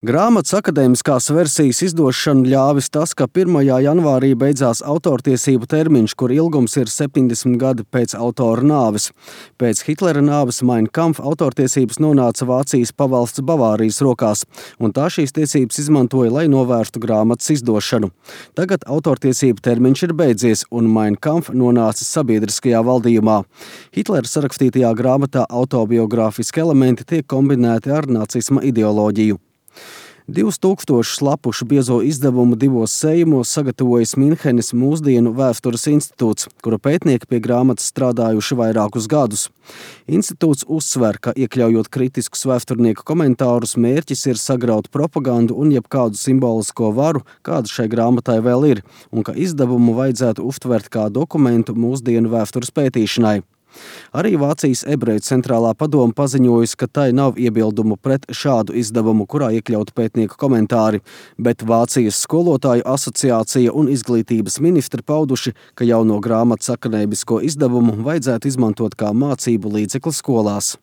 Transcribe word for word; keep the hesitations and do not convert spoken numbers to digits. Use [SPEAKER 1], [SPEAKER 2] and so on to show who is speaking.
[SPEAKER 1] Grāmatas akadēmiskās versijas izdošanu ļāvis tas, ka pirmajā janvārī beidzās autortiesību termiņš, kur ilgums ir septiņdesmit gadi pēc autora nāves. Pēc Hitlera nāves Mein Kampf autortiesības nonāca Vācijas pavalsts Bavārijas rokās, un tā šīs tiesības izmantoja, lai novērstu grāmatas izdošanu. Tagad autortiesību termiņš ir beidzies, un Mein Kampf nonāca sabiedriskajā valdījumā. Hitlera sarakstītajā grāmatā autobiogrāfiski elementi tiek kombinēti ar nacisma ideoloģiju. Divus tūkstošus lapušu biezo izdevumu divos sējumos sagatavojis Minhenes Mūsdienu vēstures institūts, kura pētnieki pie grāmatas strādājuši vairākus gadus. Institūts uzsver, ka iekļaujot kritiskus vēsturnieku komentārus, mērķis ir sagraut propagandu un jebkādu simbolisko varu, kāda šai grāmatai vēl ir, un ka izdevumu vajadzētu uztvert kā dokumentu mūsdienu vēstures pētīšanai. Arī Vācijas ebreju centrālā padome paziņojusi, ka tai nav iebildumu pret šādu izdevumu, kurā iekļauti pētnieku komentāri, bet Vācijas skolotāju asociācija un izglītības ministri pauduši, ka jauno grāmatas akadēmisko izdevumu vajadzētu izmantot kā mācību līdzekli skolās.